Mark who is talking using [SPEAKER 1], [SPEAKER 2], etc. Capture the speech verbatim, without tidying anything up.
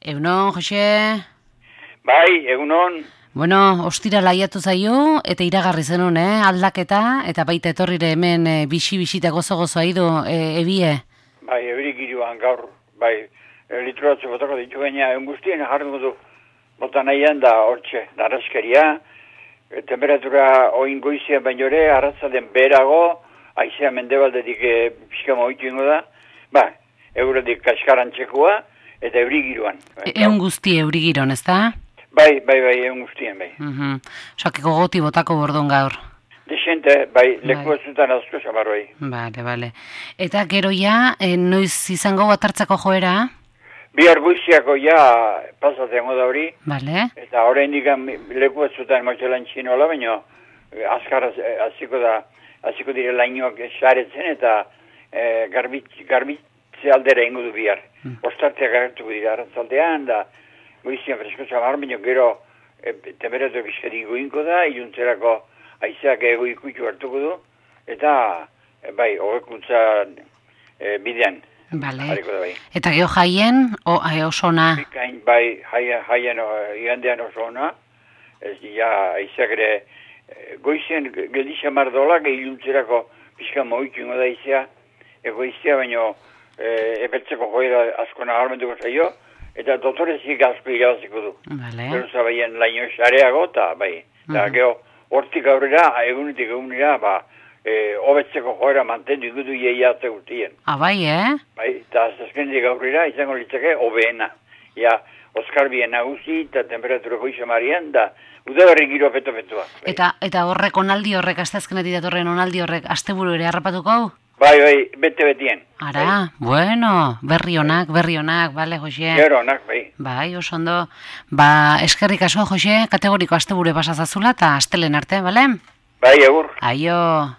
[SPEAKER 1] Egunon, Jose?
[SPEAKER 2] Bai, egunon.
[SPEAKER 1] Bueno, ostira laiatu zaio, eta iragarri zenun, eh? Aldaketa, eta baita etorrire hemen e, bixi-bixita gozo-gozo aidu, e, ebie.
[SPEAKER 2] Bai, ebirik iruan gaur, bai, lituratze botako ditu gaina, engustien jarri du bota nahian da hortxe, da arraskeria, e, temperatura oin goizien baino ere, arratzaden berago, aizea mendebaldetik e, pixka moitu ingo da, ba, eurodik kaskarantzekoa, eta eurigiruan.
[SPEAKER 1] E, egun guzti eurigiron, ez da?
[SPEAKER 2] Bai, bai, bai, egun guztien, bai.
[SPEAKER 1] Mhm. Osakeko goti botako bordon gaur.
[SPEAKER 2] Desente, bai, leku ez zutan azko zamarroi.
[SPEAKER 1] Bale, bale. Eta gero ja, e, noiz izango bat hartzako joera?
[SPEAKER 2] Bihar buiziako ja pasatengo da hori.
[SPEAKER 1] Bale.
[SPEAKER 2] Eta horrein dikan leku ez zutan motxelan txinola, baina azkar aziko da, aziko dire lainoak saretzen eta e, garbitze, garbitze aldera ingo du bihar. Hmm. Ostarteak agertuko dira arratzaldean, da goizian fresko zamar, baina gero e, temperatura bizkari goinko da, iluntzerako aizeak ego ikutu hartuko du, eta e, bai, hobekuntza e, bidean.
[SPEAKER 1] Bale.
[SPEAKER 2] Da, bai.
[SPEAKER 1] Eta geho jaien, o, e, oso ona?
[SPEAKER 2] Bikain, bai, jaien, jaien igandean oso ona, ez ja aizeak ere e, goizien geldixa mardolak, iluntzerako pixka moitu ingo da aizea, egoizia, baina e, epeltzeko joera asko nagarmentuko zaio, eta dotorezik asko irabaziko du.
[SPEAKER 1] Bale.
[SPEAKER 2] Geruza baien laino xareago, eta bai, eta
[SPEAKER 1] Mhm.
[SPEAKER 2] geho, hortik aurrera, egunetik egunera, ba, e, hobetzeko joera mantendu ikutu ieiatze guztien.
[SPEAKER 1] Ah, bai, eh?
[SPEAKER 2] Bai, eta azkenetik aurrera, izango litzake, hobeena. Ja, Oskar bien nagusi, eta temperatura goiza marian, da, udaberri giro peto-petoa. Bai.
[SPEAKER 1] Eta, eta horrek onaldi horrek, asteazkenetik datorren onaldi horrek, asteburu ere harrapatuko hau?
[SPEAKER 2] Bai, bai, bete-betien.
[SPEAKER 1] Ara,
[SPEAKER 2] bai.
[SPEAKER 1] bueno, berri onak, berri onak, bale, Jose?
[SPEAKER 2] Gero onak, bai.
[SPEAKER 1] Bai, oso ondo. Ba, eskerrik asko, Jose, kategoriko asteburu pasazazula, eta astelen arte, bale?
[SPEAKER 2] Bai, agur.
[SPEAKER 1] Aio.